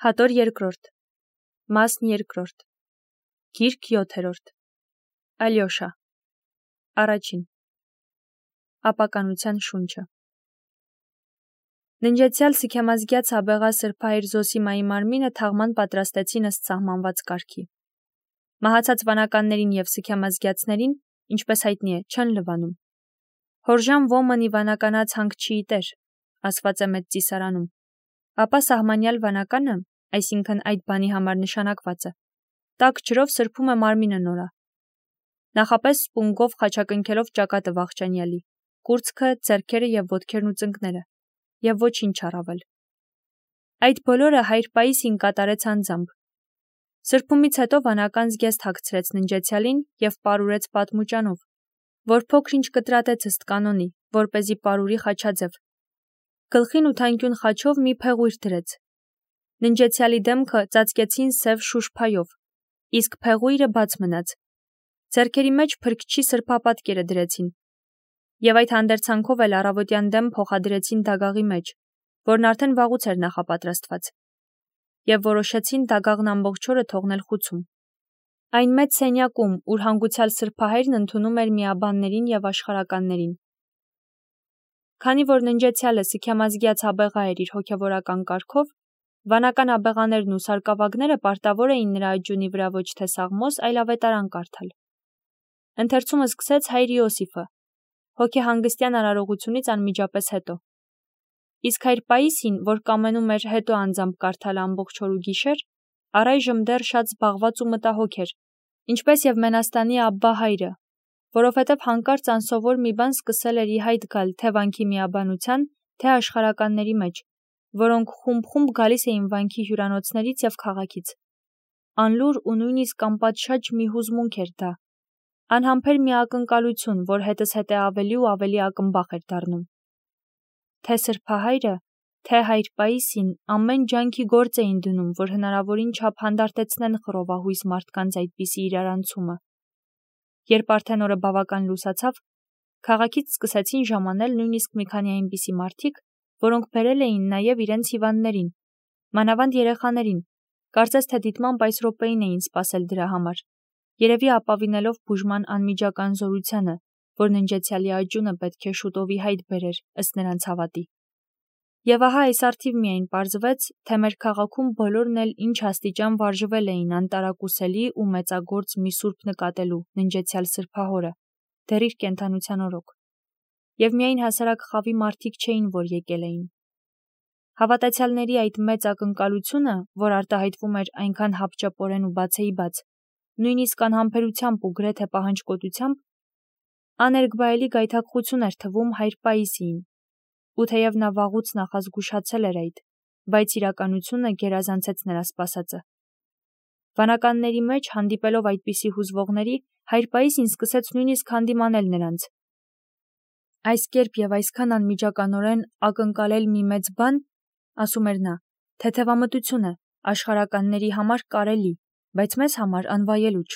Հատոր երկրորդ, մասն երկրորդ, գիրք 7-րդ, Ալյոշա, առաջին, ապականության շունչը։ Ննջեցյալ սքեմազգյաց աբեղա սրբահայր Զոսիմայի մարմինը թաղման պատրաստեցին ըստ սահմանված կարգի։ Մահացած վանականներին և սքեմազգյացներին, ինչպես հայտնի է, չեն լվանում։ Հորժան ոմն ի վանականաց հանք չի իտեր, ասված է մեծ ծիսարանում, ապա սահմանյալ վանականը, այսինքն այդ բանի համար նշանակվածը, տաք ջրով սրբում է մարմինը նորա։ Նախապես սպունգով խաչակնքելով ճակատը վախճանյալի, կուրծքը, ձեռքերը և ոտքերն ու ծնկները, և ոչինչ առավել։ Այդ բոլորը հայր Պաիսին կատարեց անձամբ։ Սրբումից հետո վանական զգեստ հագցրեց ննջեցյալին և պարուրեց պատմուճանով, որ փոքր-ինչ կտրատեց ըստ կանոնի, որպեսզի պարուրի խաչաձև։ Գլխին ութանկյուն խաչով մի փեղույր դրեց։ Ննջեցյալի դեմքը ծածկեցին սև շուշփայով, իսկ փեղույրը բաց մնաց։ Ձեռքերի մեջ փրկչի սրբապատկերը դրեցին, և այդ հանդերձանքով էլ առավոտյան դեմ փոխադրեցին դագաղի մեջ, որն արդեն վաղուց էր նախապատրաստված, և որոշեցին դագաղն ամբողջ օրը թողնել խուցում։ Այն մեծ սենյակում, ուր հանգուցյալ սրբահայրն ընդունում էր միաբաններին և աշխարհականներին։ Քանի որ ննջեցյալը սքեմազգյաց աբեղա էր իր հոգևորական կարգով, վանական աբեղաներն ու սարկավագները պարտավոր էին նրա աջունի վրա ոչ թե սաղմոս, այլ ավետարան կարդալ։ Ընթերցումը սկսեց հայր Իոսիֆը, հոգեհանգստյան արարողությունից անմիջապես հետո։ Իսկ հայր Պաիսին, որ կամենում էր հետո անձամբ կարդալ ամբողջ օր ու գիշեր, առայժմ դեռ շատ զբաղված ու մտահոգ էր, ինչպես և Մենաստանի Աբբա հայրը, որովհետև հանկարծ անսովոր մի բան սկսել էր ի հայտ գալ թե վանքի միաբանության, թե աշխարհականների մեջ, որոնք խումբ-խումբ գալիս էին վանքի հյուրանոցներից և քաղաքից։ Անլուր ու նույնիսկ անպատշաճ մի հուզմունք էր դա, անհամբեր մի ակնկալություն, որ հետզհետե ավելի ու ավելի ակնբախ էր դառնում։ Թե սրբահայրը, թե հայր Պաիսին ամեն ջանքի գործ էին դնում, որ հնարավորին չափ հանդարտեցնեն խռովահույս մարդկանց այդպիսի իրարանցումը։ Երբ արդեն օրը բավական լուսացավ, քաղաքից սկսեցին ժամանել նույնիսկ մի քանի այնպիսի մարդիկ, որոնք բերել էին նաև իրենց հիվանդներին, մանավանդ երեխաներին, կարծես թե դիտմամբ այս րոպեին էին սպասել դրա համար, երևի ապավինելով բուժման անմիջական զորությանը, որ ննջեցյալի աջունը պետք է շուտով ի հայտ բերեր, ըստ նրանց հավատի։ Եվ ահա այս առթիվ միայն պարզվեց, թե մեր քաղաքում բոլորն էլ ինչ աստիճան վարժվել էին անտարակուսելի ու մեծագործ մի սուրբ նկատելու ննջեցյալ սրբահորը, դեռ իր կենդանության օրոք։ Եվ միայն հասարակ խավի մարդիկ չէին, որ եկել էին։ Հավատացյալների այդ մեծ ակնկալությունը, որ արտահայտվում էր այնքան հապճեպորեն ու բացեիբաց, նույնիսկ անհամբերությամբ ու գրեթե պահանջկոտությամբ, աներկբայելի գայթակղություն էր թվում հայր Պաիսիին, ու թեև նա վաղուց նախազգուշացել էր այդ, բայց իրականությունը գերազանցեց նրա սպասածը։ Վանականների մեջ հանդիպելով այդպիսի հուզվողների, հայր Պաիսին սկսեց նույնիսկ հանդիմանել նրանց։ Այս կերպ և այսքան անմիջականորեն ակնկալել մի մեծ բան, ասում էր նա, թեթևամտություն է, աշխարհականների համար կարելի, բայց մեզ համար անվայելուչ։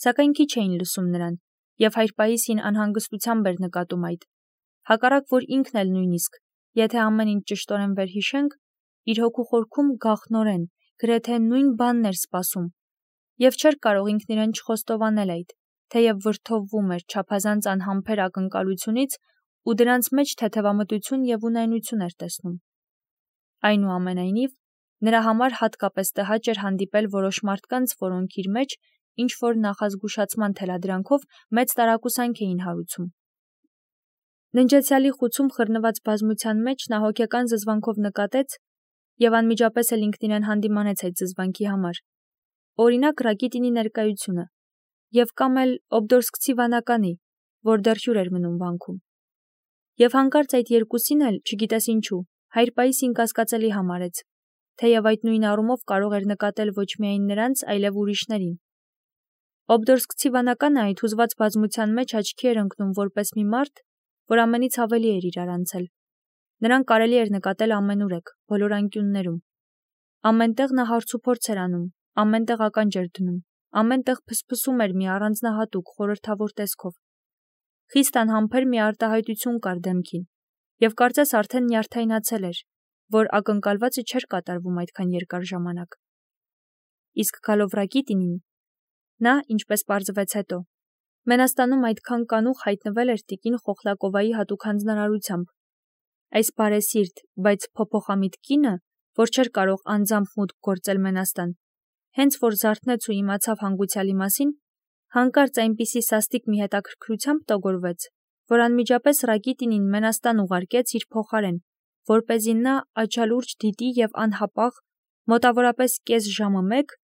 Սակայն քիչ էին լսում նրան, և հայր Պաիսին անհանգստությամբ էր նկատում այդ, հակառակ որ ինքն էլ նույնիսկ, եթե ամեն ինչ ճշտորեն վերհիշենք, իր հոգու խորքում գաղտնորեն, գրեթե նույն բանն էր սպասում, և չէր կարող ինքն իրեն չխոստովանել այդ, թեև վրդովվում էր չափազանց անհամբեր ակնկալությունից ու դրանց մեջ թեթևամտություն և ունայնություն էր տեսնում։ Այնուամենայնիվ, նրա համար հատկապես տհաճ էր հանդիպել որոշ մարդկանց, որոնք իր մեջ ինչ-որ նախազգուշացման թելադրանքով մեծ տարակուսանք էին հարուցում։ Ննջեցյալի խուցում խռնված բազմության մեջ նա հոգեկան զզվանքով նկատեց և անմիջապես էլ ինքն իրեն հանդիմանեց այդ զզվանքի համար, օրինակ Ռակիտինի ներկայությունը և կամ էլ Օբդորսկցի վանականի, որ դեռ հյուր էր մնում վանքում։ Եվ հանկարծ այդ երկուսին էլ, չգիտես ինչու, հայր Պաիսին կասկածելի համարեց, թեև այդ նույն առումով կարող էր նկատել ոչ միայն նրանց, այլև ուրիշներին։ Օբդորսկցի վանականը այդ հուզված բազմության մեջ աչքի էր ընկնում որպես մի մարդ, որ ամենից ավելի էր իրարանցել։ Նրան կարելի էր նկատել ամենուրեք, բոլոր անկյուններում։ Ամենտեղ նա հարցուփորձ էր անում, ամենտեղ ականջ էր դնում, ամենտեղ փսփսում էր մի առանձնահատուկ, խորհրդավոր տեսքով։ Խիստ անհամբեր մի արտահայտություն կար դեմքին, և կարծես արդեն նյարդայնացել էր, որ ակնկալվածը չէր կատարվում այդքան երկար ժամանակ։ Իսկ գալով Ռակիտինին, նա, ինչպես պարզվեց հետո, Մենաստանում այդքան կանուխ հայտնվել էր տիկին Խոխլակովայի հատուկ հանձնարարությամբ։ Այս բարեսիրտ, բայց փոփոխամիտ կինը, որ չէր կարող անձամբ մուտք գործել Մենաստան, հենց որ զարթնեց ու իմացավ հանգուցյալի մասին, հանկարծ այնպիսի սաստիկ մի հետաքրքրությամբ տոգորվեց, որ անմիջապես Ռակիտինին Մենաստան ուղարկեց իր փոխարեն, որպեսզի նա աչալուրջ դիտի և անհապաղ, մոտավորապես կես ժամը մեկ,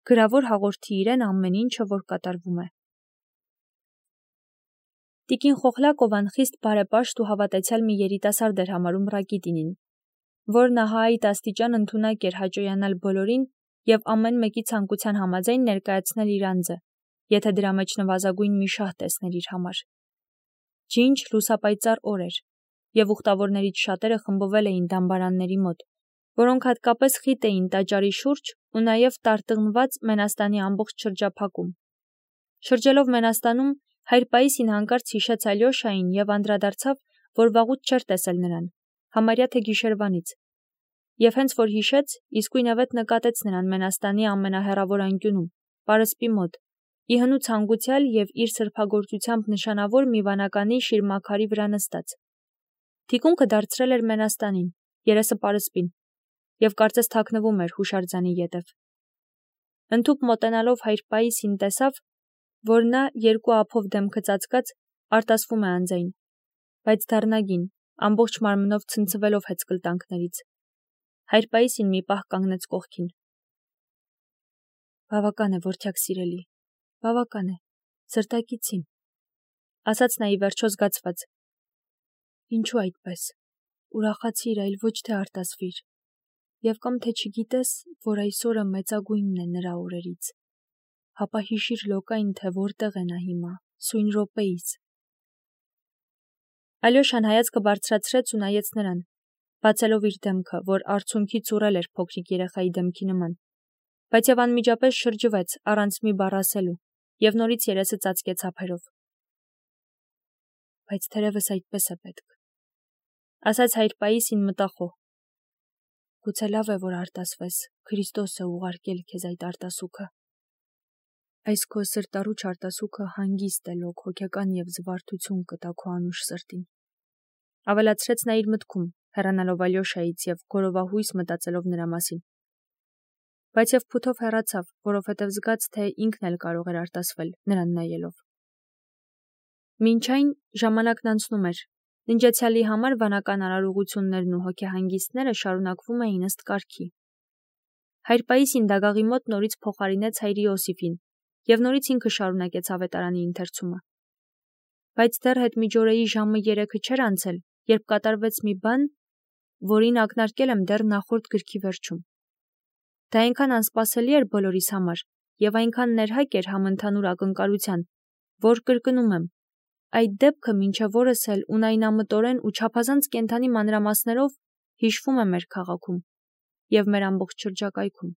գրավոր հաղորդի իրեն ամեն ինչը, որ կատարվում է։ Տիկին Խոխլակովան խիստ բարեպաշտ ու հավատացյալ մի երիտասարդ էր համարում Ռակիտինին, որն ահա այդ աստիճան ընդունակ էր հաճոյանալ բոլորին և ամեն մեկի ցանկության համաձայն ներկայացնել իր անձը, եթե դրա մեջ նվազագույն մի շահ տեսներ իր համար։ Ջինջ լուսապայծառ օր էր, և ուխտավորներից շատերը խմբվել էին դամբարանների մոտ, որոնք հատկապես խիտ էին տաճարի շուրջ ու նաև տարտղնված Մենաստանի ամբողջ շրջափակում։ Շրջելով Մենաստանում, հայր Պաիսին հանկարծ հիշեց Ալյոշային և անդրադարձավ, որ վաղուց չէր տեսել նրան, համարյա թե գիշերվանից։ Եվ հենց որ հիշեց, իսկույնևեթ նկատեց նրան Մենաստանի ամենահեռավոր անկյունում, պարսպի մոտ, ի հնուց հանգուցյալ և իր սրբագործությամբ նշանավոր մի վանականի շիրմաքարի վրա նստած։ Թիկունքը դարձրել էր Մենաստանին, երեսը պարսպին, և կարծես թաքնվում էր հուշարձանի ետև։ Ընդհուպ մոտենալով հայր Պաիսին տեսավ, որ նա երկու ափով դեմքը ծածկած արտասվում է անձայն, բայց դառնագին, ամբողջ մարմնով ցնցվելով հեծկլտանքներից։ Հայր Պաիսին մի պահ կանգնեց կողքին։ «Բավական է, որդյակ սիրելի, բավական է, սրտակից իմ», ասաց նա ի վերջո զգացված։ «Ինչու այդպես, ուրախացիր, այլ ոչ թե արտասվիր, և կամ թե չգիտես, որ այս օրը մեծագույնն է նրա օրերից, հապա հիշիր լոկային, թե որտեղ է նա հիմա, սույն րոպեիս»։ Ալյոշան հայացքը բարձրացրեց ու նայեց նրան, բացելով իր դեմքը, որ արցունքից ուռել էր փոքրիկ երեխայի դեմքի նման, բայց և անմիջապես շրջվեց առանց մի բառ ասելու և նորից երեսը ծածկեց ափերով։ «Բայց թերևս այդպես է պետք», ասաց հայր Պաիսին մտախոհ։ «Գուցե լավ է, որ արտասվես, Քրիստոս է ուղարկել քեզ այդ արտասուքը։ Այս քո սրտառուչ արտասուքը հանգիստ է լոկ հոգեկան և զվարթություն կտա քո անուշ սրտին», ավելացրեց նա իր մտքում, հեռանալով Ալյոշայից և գորովահույս մտածելով նրա մասին։ Բայց և փութով հեռացավ, որովհետև զգաց, թե ինքն էլ կարող էր արտասվել, նրան նայելով։ Մինչ այն ժամանակն անցնում էր, ննջեցյալի համար վանական արարողություններն ու հոգեհանգիստները շարունակվում էին ըստ կարգի։ Հայր Պաիսին դագաղի մոտ նորից փոխարինեց հայր Իոսիֆին, և նորից ինքը շարունակեց ավետարանի ընթերցումը։ Բայց դեռ հետմիջօրեի ժամը 3-ը չէր անցել, երբ կատարվեց մի բան, որին ակնարկել եմ դեռ նախորդ գրքի վերջում։ Դա այնքան անսպասելի էր բոլորիս համար և այնքան ներհակ էր համընդհանուր ակնկալության, որ կրկնում եմ, այդ դեպքը մինչև օրս էլ ունայնամտորեն ու չափազանց կենդանի մանրամասներով հիշվում է մեր քաղաքում և մեր ամբողջ շրջակայքում։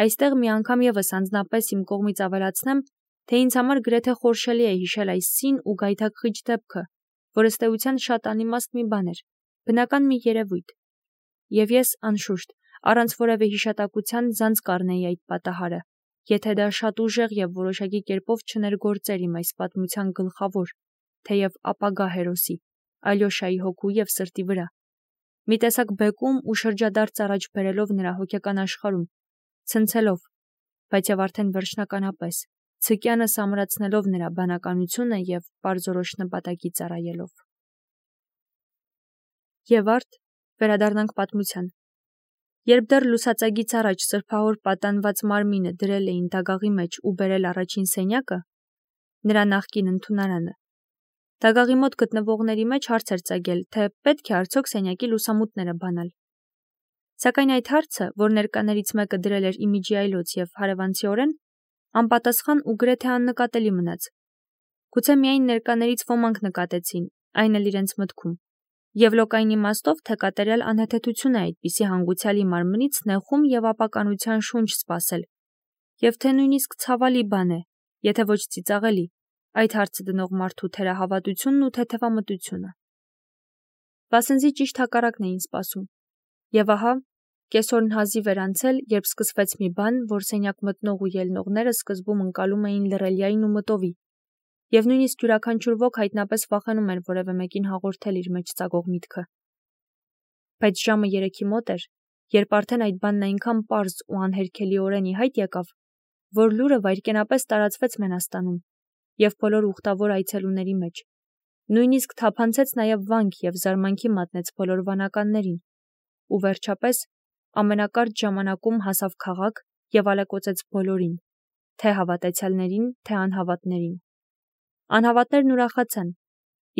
Այստեղ մի անգամ ևս անձնապես իմ կողմից ավելացնեմ, թե ինձ համար գրեթե խորշելի է հիշել այս սին ու գայթակղիչ դեպքը, որ ըստ էության շատ անիմաստ մի բան էր, բնական մի երևույթ։ Եվ ես, անշուշտ, առանց որևէ հիշատակության ձանձ կառնեի այդ պատահարը, եթե դա շատ ուժեղ և որոշակի կերպով չներգործեր իմ այս պատմության գլխավոր, թեև ապագա հերոսի, Ալյոշայի հոգու և սրտի վրա, մի տեսակ բեկում ու շրջադարձ առաջ բերելով նրա հոգեկան աշխարհում, ցնցելով, բայց և արդեն վերջնականապես, ցկյանս ամրացնելով նրա բանականությունը և պարզորոշ նպատակի ծառայելով։ Եվ արդ վերադառնանք պատմության։ Երբ դեռ լուսածագից առաջ սրբահոր պատանված մարմինը դրել էին դագաղի մեջ ու բերել առաջին սենյակը, նրա նախկին ընդունարանը, դագաղի մոտ գտնվողների մեջ հարց էր ծագել, թե պետք է արդյոք սենյակի լուսամուտները բանալ։ Սակայն այդ հարցը, որ ներկաներից մեկը դրել էր իմիջի այլոց և հարևանցիորեն, անպատասխան ու գրեթե աննկատելի մնաց։ Գուցե միայն ներկաներից ոմանք նկատեցին, այն էլ իրենց մտքում, և լոկային իմաստով, թե կատարյալ անհեթեթություն է այդպիսի հանգուցյալի մարմնից նեխում և ապականության շունչ սպասել, և թե նույնիսկ ցավալի բան է, եթե ոչ ծիծաղելի, այդ հարցը դնող մարդու թերահավատությունն ու թեթևամտությունը։ Վասնզի ճիշտ հակառակն էին սպասում, Եվ ահա, կեսօրն հազիվ էր անցել, երբ սկսվեց մի բան, որ սենյակ մտնող ու ելնողները սկզբում ընկալում էին լռելիային ու մտովի, և նույնիսկ յուրաքանչյուր ոք հայտնապես վախենում էր որևէ մեկին հաղորդել իր մեջ ծագող միտքը։ Բայց ժամը 3-ի մոտ էր, երբ արդեն այդ բանն այնքան պարզ ու անհերքելիորեն ի հայտ եկավ, որ լուրը վայրկենապես տարածվեց Մենաստանում և բոլոր ուխտավոր այցելուների մեջ, նույնիսկ թափանցեց նաև վանք և զարմանքի մատնեց բոլոր վանականներին, ու վերջապես ամենակարճ ժամանակում հասավ քաղաք և ալեկոծեց բոլորին, թե հավատացյալներին, թե անհավատներին։ Անհավատներն ուրախացան,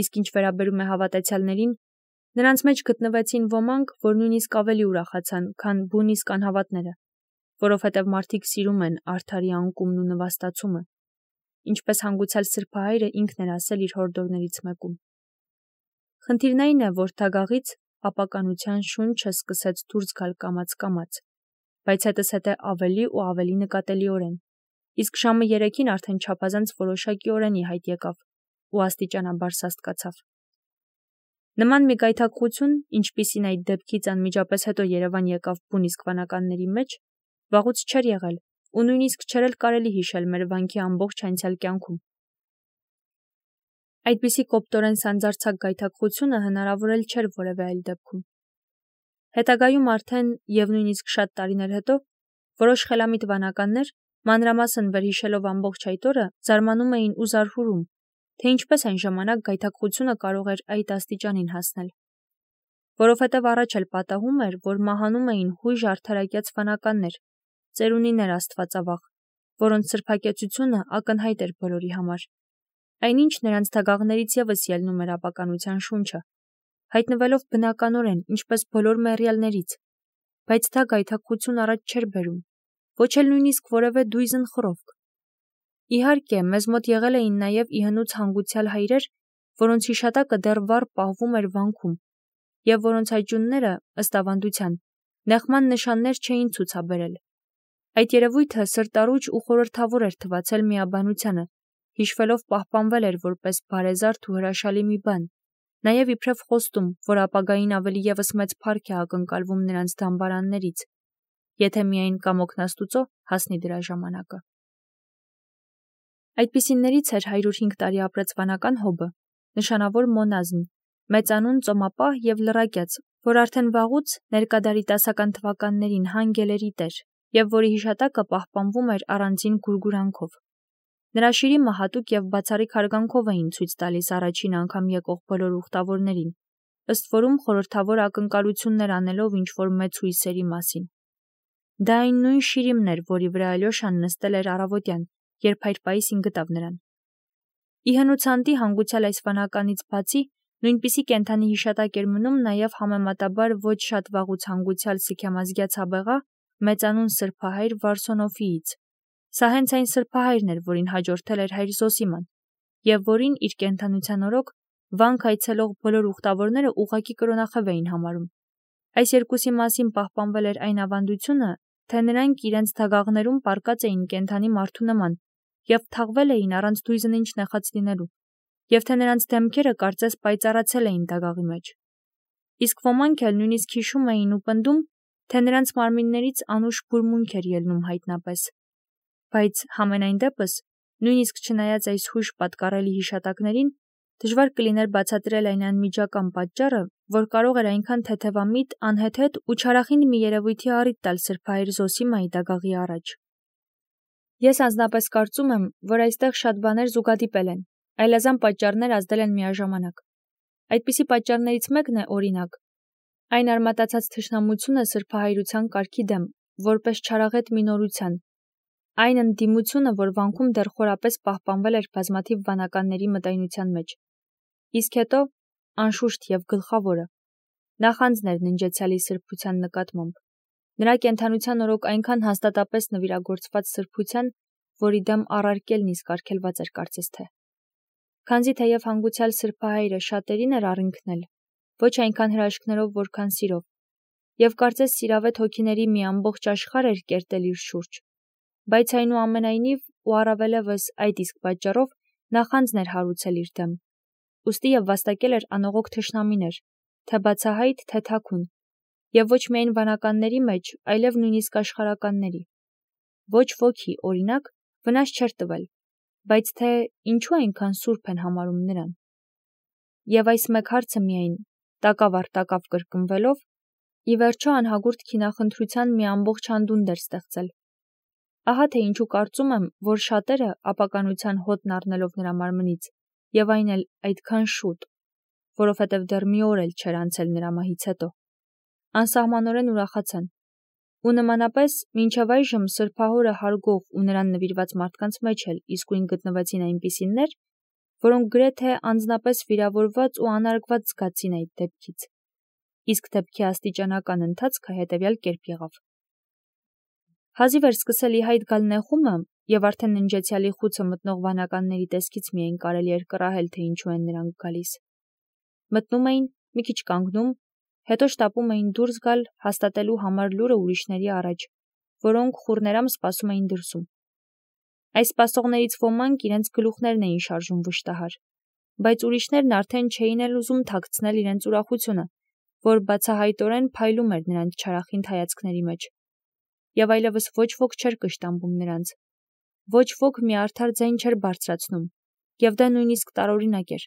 իսկ ինչ վերաբերում է հավատացյալներին, նրանց մեջ գտնվեցին ոմանք, որ նույնիսկ ավելի ուրախացան, քան բունիսկ անհավատները, որովհետև մարդիկ սիրում են արդարի անկումն ու նվաստացումը, ինչպես հանգուցյալ սրբահայրը ինքն էր ասել իր հորդորներից մեկում։ Խնդիրն այն է, որ թագաղից ապականության շունչը սկսեց դուրս գալ կամաց, բայց հետզհետե ավելի ու ավելի նկատելիորեն, իսկ ժամը 3-ին արդեն չափազանց որոշակիորեն ի հայտ եկավ ու աստիճանաբար սաստկացավ։ Նման մի գայթակղություն, ինչպիսին այդ դեպքից անմիջապես հետո Երևան եկավ բունիսկ վանականների մեջ, վաղուց չէր եղել ու նույնիսկ չէր էլ կարելի հիշել մեր վանքի ամբողջ անցյալ կյանքում։ Այդպիսի կոպտորեն սանձարձակ գայթակղությունը հնարավոր էլ չէր որևէ այլ դեպքում։ Հետագայում արդեն և նույնիսկ շատ տարիներ հետո որոշ խելամիտ վանականներ, մանրամասն վերհիշելով ամբողջ այդ օրը, զարմանում էին ու զարհուրում, թե ինչպես այն ժամանակ գայթակղությունը կարող էր այդ աստիճանին հասնել։ Որովհետև առաջ էլ պատահում էր, որ մահանում էին հույժ արդարակյաց վանականներ, ծերունիներ աստվածավախ, որոնց սրբակեցությունը ակնհայտ էր բոլորի համար, այնինչ նրանց թագաղներից ևս ելնում էր ապականության շունչը, հայտնվելով բնականորեն, ինչպես բոլոր մեռյալներից, բայց դա գայթակղություն առաջ չէր բերում, ոչ էլ նույնիսկ որևէ դույզն խռովք։ Իհարկե, մեզ մոտ եղել էին նաև ի հնուց հանգուցյալ հայրեր, որոնց հիշատակը դեռ վառ պահվում էր վանքում, և որոնց այճունները, ըստ ավանդության, նեղման նշաններ չէին ցուցաբերել։ Այդ երևույթը սրտառուչ ու խորհրդավոր էր թվացել միաբանությանը, հիշվելով պահպանվել էր որպես բարեզարդ ու հրաշալի մի բան, նաև իբրև խոստում, որ ապագային ավելի ևս մեծ փառք է ակնկալվում նրանց դամբարաններից, եթե միայն Կամոքնաստուծո հասնի դրա ժամանակը։ Այդպիսիներից էր 105 տարի ապրած վանական Հոբը, նշանավոր Մոնազն, մեծանուն ծոմապահ և լռակյաց, որ արդեն վաղուց ներկադարի 10-ական թվականներին հանգելերի տեր, և որի հիշատակը պահպանվում էր առանձին գուրգուրանքով։ Նրա շիրիմը հատուկ և բացառիկ հարգանքով էին ցույց տալիս առաջին անգամ եկող բոլոր ուխտավորներին, ըստ որում խորհրդավոր ակնկալություններ անելով ինչ-որ մեծ հույսերի մասին։ Դա այն նույն շիրիմն էր, որի վրա Ալյոշան նստել էր առավոտյան, երբ Հայր Պաիսին գտավ նրան։ Ի հնուցանտի հանգուցյալ այս վանականից բացի, նույնպիսի կենդանի հիշատակ էր մնում նաև համեմատաբար ոչ շատ վաղուց հանգուցյալ սքեմազգյա ցաբեղա, մեծանուն սրբահայր Վարսոնոֆիից։ Սա հենց այն սրբահայրն էր, որին հաջորդել էր հայր Զոսիման, և որին իր կենդանության օրոք վանք այցելող բոլոր ուխտավորները ուղղակի կրոնախև էին համարում։ Այս երկուսի մասին պահպանվել էր այն ավանդությունը, թե նրանք իրենց թագաղներում պառկած էին կենդանի մարդու նման և թաղվել էին առանց դույզն ինչ նեխած լինելու, և թե նրանց դեմքերը կարծես պայծառացել էին դագաղի մեջ։ Իսկ ոմանք էլ նույնիսկ հիշում էին ու պնդում, թե նրանց մարմիններից անուշ բուրմունք էր ելնում հայտնապես։ Բայց համենայն դեպս, նույնիսկ չնայած այս հույժ պատկառելի հիշատակներին, դժվար կլիներ բացատրել այն անմիջական պատճառը, որ կարող էր այնքան թեթևամիտ, անհեթեթ ու չարախինդ մի երևույթի առիթ տալ սրբահայր Զոսիմայի դագաղի առաջ։ Ես անձնապես կարծում եմ, որ այստեղ շատ բաներ զուգադիպել են, այլազան պատճառներ ազդել են միաժամանակ։ Այդպիսի պատճառներից մեկն է, օրինակ, այն արմատացած թշնամությունը սրբահայրության կարգի դեմ, որպես չարաղետ մի նորության, այն ընդդիմությունը, որ վանքում դեռ խորապես պահպանվել էր բազմաթիվ վանականների մտայնության մեջ։ Իսկ հետո, անշուշտ և գլխավորը, նախանձն էր ննջեցյալի սրբության նկատմամբ, նրա կենդանության օրոք այնքան հաստատապես նվիրագործված սրբության, որի դեմ առարկելն իսկ արգելված էր կարծես թե։ Քանզի թեև հանգուցյալ սրբահայրը շատերին էր առընկնել, ոչ այնքան հրաշքներով, որքան սիրով, և կարծես սիրավետ հոգիների մի ամբողջ աշխարհ էր կերտել իր շուրջ, բայց այնուամենայնիվ ու առավելևս այդ իսկ պատճառով նախանձն էր հարուցել իր դեմ, ուստի և վաստակել էր անողոք թշնամիներ, թե բացահայտ, թե թաքուն, Եվ ոչ միայն վանականների մեջ, այլև նույնիսկ աշխարհականների։ Ոչ ոքի, օրինակ, վնաս չէր տվել, բայց թե ինչու այնքան սուրբ են համարում նրան։ Եվ այս մեկ հարցը միայն, տակավ կրկնվելով, ի վերջո անհագուրդ քինախնդրության մի ամբողջ անդունդ էր ստեղծել։ Ահա թե ինչու կարծում եմ, որ շատերը ապականության հոտն առնելով նրա մարմնից, եւ այն էլ այդքան շուտ, որովհետև դեռ մի օր էլ չէր անցել նրա մահից հետո, անսահմանորեն ուրախացան։ Ու նմանապես, մինչև այժմ սրբահորը հարգող ու նրան նվիրված մարդկանց մեջ էլ իսկույն գտնվեցին այնպիսիներ, որոնք գրեթե անձնապես վիրավորված ու անարգված զգացին այդ դեպքից։ Իսկ դեպքի աստիճանական ընթացքը հետևյալ կերպ եղավ։ Հազիվ էր սկսել ի հայտ գալ նեղումը, եւ արդեն ննջեցյալի խուցը մտնող վանականների տեսքից միայն կարելի էր կռահել, թե ինչու են նրանք գալիս։ Մտնում էին, մի քիչ կանգնում, հետո շտապում էին դուրս գալ հաստատելու համար լուրը ուրիշների առաջ, որոնք խուռներամ սպասում էին դրսում։ Այս սպասողներից ոմանք իրենց գլուխներն էին շարժում վշտահար, բայց ուրիշներն արդեն չէին էլ ուզում թաքցնել իրենց ուրախությունը, որ բացահայտորեն փայլում էր նրանց չարախինդ հայացքների մեջ։ Եվ այլևս ոչ ոք չէր կշտամբում նրանց, ոչ ոք մի արդար ձայն չէր բարձրացնում, եւ դա նույնիսկ տարօրինակ էր,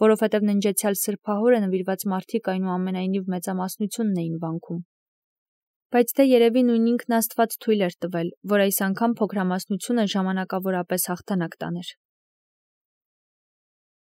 որովհետև ննջեցյալ սրբահորը նվիրված մարդիկ այնուամենայնիվ մեծամասնությունն էին վանքում։ Բայց դե երևի նույն ինքն Աստված թույլ էր տվել, որ այս անգամ փոքրամասնությունը ժամանակավորապես հաղթանակ տաներ։